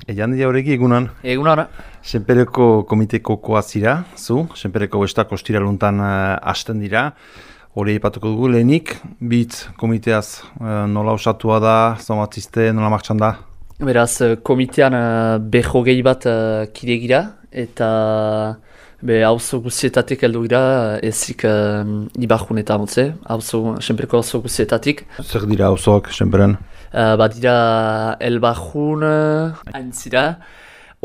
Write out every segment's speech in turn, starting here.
Ejan dira horreki egunan? Egunan. Senpereko komiteko koazira, zu, Senpereko bestak ostiraluntan hasten dira. Hori ipatuko dugu lehenik, bitz komiteaz nola osatua da, zomatzizte, nola martxan da? Beraz, komitean behogei bat kide gira, eta auzo guzietatik heldu gira, ezik Ibarjun eta Amotze, Senpereko auzo guzietatik. Zer dira auzoak, Senperen? Dira Elbarjun, Aintzira,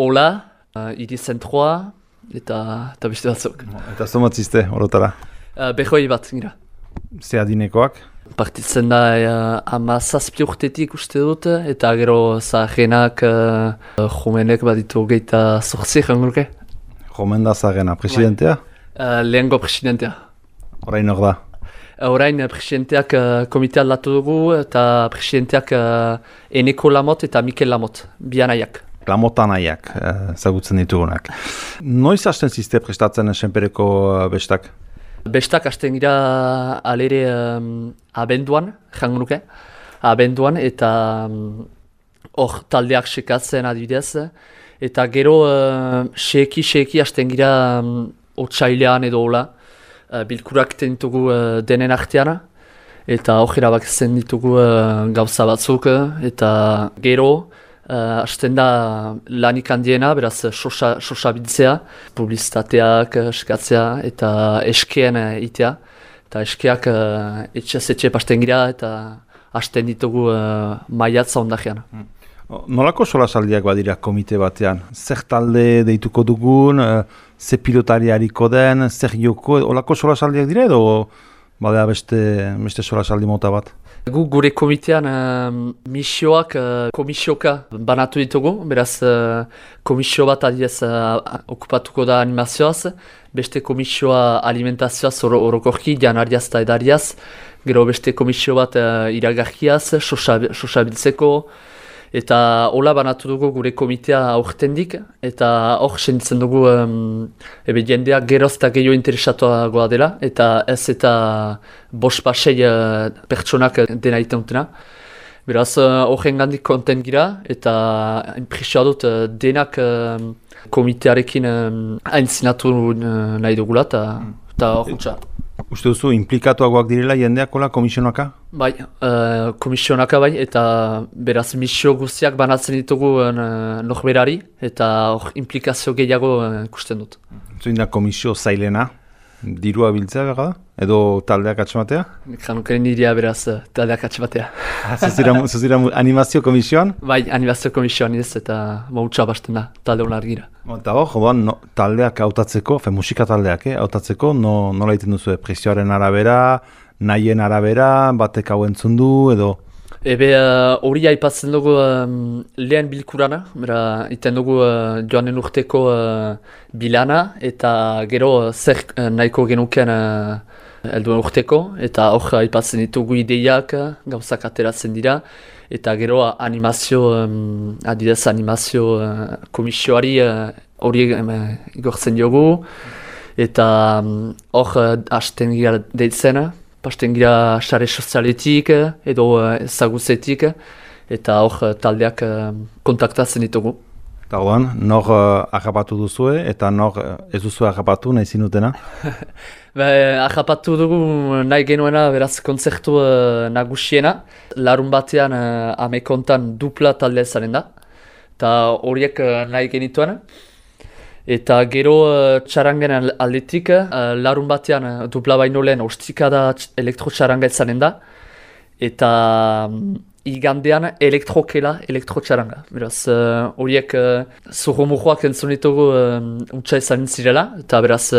Ola, Iri Zentroa, eta beste batzuk. Eta zomatzizte, horotara? Behogei bat gira. Ze adinekoak? Partitzen da 17 urtetik uste dut, eta gero zaharenak jomenek baditu geita 8 jangurke. Jomen da zahagena, presidentea? Lehengo presidentea. Orain hor da? Orain presidenteak komitea aldatu dugu, eta presidenteak Eneko Lamot eta Mikel Lamot, bianaiak. Lamotanaiak, zagutzen ditugunak. Noiz hasten zizte prestatzen Senpereko bestak? Bestak hasten gira alere abenduan, jangunuke, abenduan, eta hor taldeak sekatzen adibidez, eta gero seki hasten gira otsailean edo hola, bilkurak ditugu denen artean, eta hor erabakitzen ditugu gauza batzuk, eta gero hasten da lanik handiena, beraz sosa biltzea, publizitateak eskatzea eta eskeen itea. Eta eskeak etxe pasten gira eta hasten ditugu maiatza ondajean. Nolako solasaldiak badira komite batean? Zer talde deituko dugun, ze pilotari hariko den, zer joko, olako solasaldiak dira edo badea beste solasaldi mota bat? Gure komitean misioak komisioka banatu ditugu, beraz komisio bat adiez okupatuko da animazioaz, beste komisioa alimentazioaz orokorki, janariaz eta edariaz, gero beste komisio bat iragarkiaz, sosabiltzeko, eta hola banatu dugu gure komitea aurtendik, eta hor senditzen dugu jendeak geroz eta gehiago interesatuagoa dela, eta ez eta bost-pasei pertsonak dena iteutena. Beraz, horren gandik kontent gira, eta impresioa dut denak komitearekin aintzinatu nahi dugula, eta hor gutxa. Uste duzu, implikatuagoak direla jendeak hola komisionaka? Bai, komisionaka bai, eta beraz misio guztiak banatzen ditugu norberari, eta hor implikazio gehiago ikusten dut. Zuin da komisio zailena, dirua biltzea gara da? Edo taldeak atxematea? Janukaren nirea beraz taldeak atxematea. Zuzira animazio komisioan? Bai, animazio komisioan ez, eta mautxa basten da, talde honar gira. Eta hor, taldeak hautatzeko, musika taldeak, hautatzeko, nola egiten duzu, presioaren arabera, nahien arabera, batek hau entzun du, edo? Ebe hori aipatzen dugu lehen bilkurana, iten dugu joanen urteko bilana, eta gero zer nahiko genuken helduen urteko, eta hor aipatzen ditugu ideiak, gauzak ateratzen dira, eta gero adidez animazio komisioari hori igortzen diogu, eta hor hasten gira deitzen, pasten gira sare sozialetik edo ezagutzetik, eta hor taldeak kontaktatzen ditugu. Eta horan, nor agapatu duzue eta nor ez duzue agapatu nahi zinutena? Agapatu dugu nahi genuena beraz kontzertu nagusiena. Larun batean amekontan dupla taldea zaren da. Eta horiek nahi genituen. Eta gero txarangen aldetik, larun batean dupla baino lehen ostikada elektro-txaranga zaren da. Eta igandean elektro-txaranga. Beraz, horiek zurrumujoak entzun ditugu untsa izan zirela, eta beraz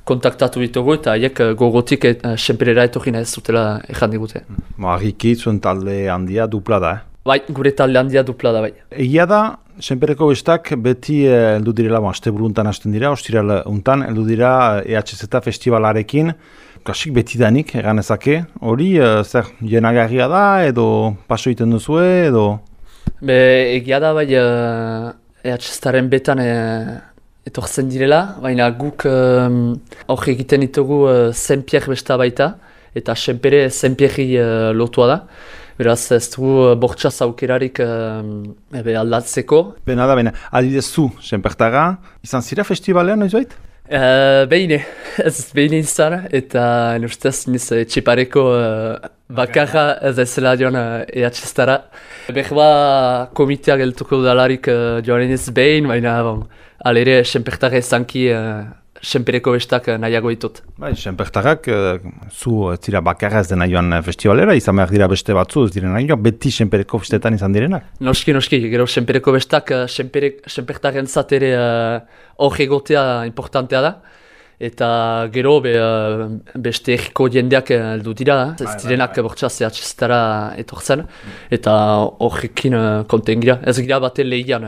kontaktatu ditugu, eta haiek gogotik Senperera etorri nahi zutela ezan digute. Argiki zuen talde handia dupla da, Bai, gure talde handia dupla da, bai. Egia da, Senpereko bestak beti heldu direla, asteburu untan hasten dira, ostiral untan, heldu dira EHZ festivalarekin, kasik beti danik, egan ezake, hori zer jenagarria da, edo paso egiten duzue, edo? Egia da, bai, EHZ-aren betan etortzen direla, baina guk hor egiten ditugu Senpier besta baita, eta Senpere Senpierri lotua da. Beraz ez du bortxaz aukerarik aldatzeko. Bena, adibidez zu, Senpertaga, izan zira festivalean, noiz bait? Behine izan, eta ustez niz etxipareko bakarra ez ezela joan EHZ-tara. Behar komitea geltuko dalarik joan ez behin, baina alere Senpertaga ezanki Senpereko bestak nahiago ditut. Bai, Senpertagak zu zira bakarra ez dena joan festivalera, izan behar dira beste batzu, ez diren nahi beti Senpereko festetan izan direnak? Noski, gero Senpereko bestak Senpertaren zatere hor egotea importantea da. Eta gero beste egiko jendeak heldu dira, ez direnak bortxaz EHZ-tara etortzen, eta horrekin konten gira, ez gira baten lehian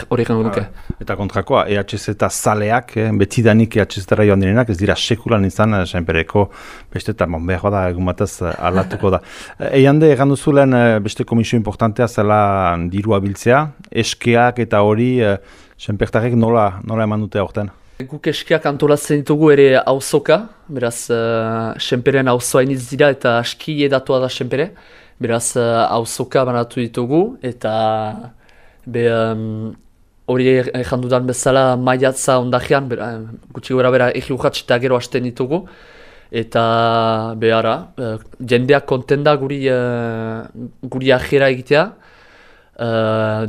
horrekin nuke. Eta kontrakoa, EHZ zaleak, betidanik EHZ-tara joan direnak, ez dira sekulan izan Senpereko bestetan, behar da egun batez aldatuko da. Eiande, egan duzulen beste komisio importantea zela dirua biltzea, eskeak eta hori Senpertarek nola eman dute aurten? Guk eskiak antolatzen ditugu ere auzoka, beraz Senperen auzoa iniz dira eta aski edatua da Senpere, beraz auzoka banatu ditugu eta hori egin dudan bezala maiatza ondajean, gutxi gora bera egi urratx eta gero hasten ditugu eta behara, jendeak konten da guri ajera egitea.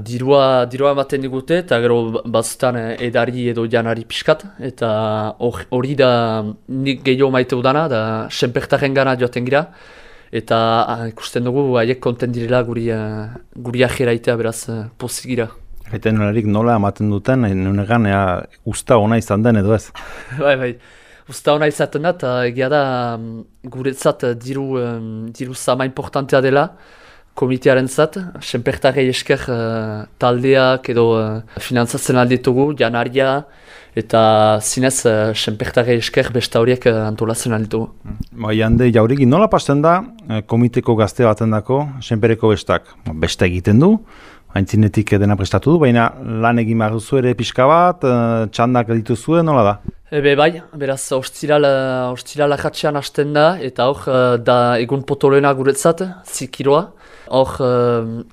Dirua ematen digute eta gero batzutan edari edo janari pixkat eta hori da nik gehiago maite udana da Senpertaren gana joaten gira eta ikusten dugu haiek konten direla guri ajera itea beraz pozik gira. Gaiten nola ematen duten, nunegan usta ona izan den edo ez? Bai, usta ona izaten da eta egia da guretzat diru zama importantea dela komitearen zat, Senpertarei esker taldeak edo finantzatzen alditugu, janaria, eta zinez Senpertarei esker besta horiek antolatzen alditugu. Jande, jauregi, nola pasten da komiteko gazte baten dako Senpereko bestak? Besta egiten du, haintzinetik dena prestatu du, baina lan egin behar duzu ere pixka bat, txandak dituzue, nola da? Bai, beraz, ostirala jatxean hasten da, eta hor da egun potolena guretzat, zikiroa. Hor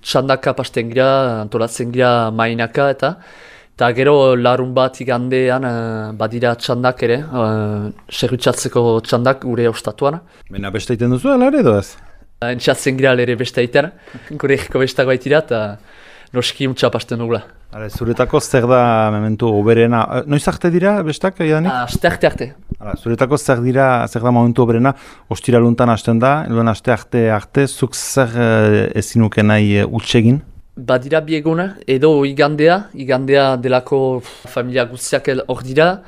txandaka pasten gira, antolatzen gira mainaka eta gero larun bat igandean badira txandak ere, serrutxatzeko txandak gure ostatuan. Baina beste egiten duzu, ala ere edo ez? Entxatzen gira ere beste egiten, gure egiko bestago baitira eta noski untxa pasten dugula. Zuretako zer da momentu oberena, noiz arte dira bestak edanik? Aste arte. Zuretako zer da momentu oberena, ostiraluntan hasten da, edoen aste arte, zuk zer ezinuke nahi utsegin? Badira bi eguna, edo igandea delako familia guztiak hor dira,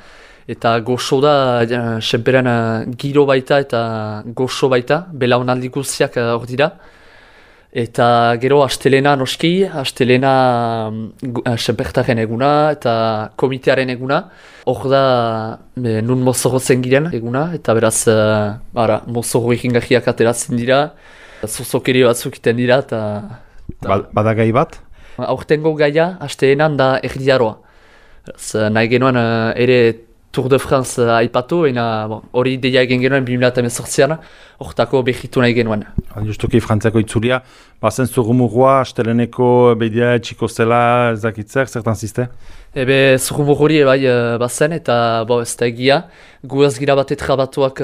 eta goxo da, Senperen giro baita eta goxo baita, belaunaldi guztiak hor dira. Eta gero astelena noski, Senpertaren eguna eta komitearen eguna. Hor da nun mozorotzen giren eguna, eta beraz mozoro egin gajiak ateratzen dira, zuzokeri batzuk iten dira. Bada gai bat? Aurtengo gaia, astelenan da erdiaroa. Nahi genuen ere Tour de France aipatu, hori deia egin genuen 2018an, hortako behitu nahi genuen. Justuki frantziako itzulia, bazen zurrumurua, asteleneko bedia etxiko zela ezakitzer, zertan ziste? Zurrumurri bazen, eta ez da egia, gu ez gira bat etrabatuak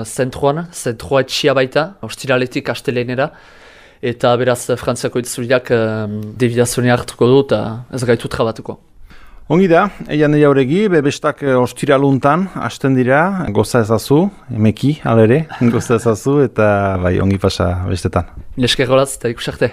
zentroa etxia baita, ostiraletik astelenera, eta beraz frantziako itzuliak debiazionea hartuko du, eta ez gaitu trabatuko. Ongi da, Eiane Jauregi, bestak ostiraluntan hasten dira, goza ezazu, emeki, alere, goza ezazu, eta ongi pasa bestetan. Nesker golaz, eta ikusarte.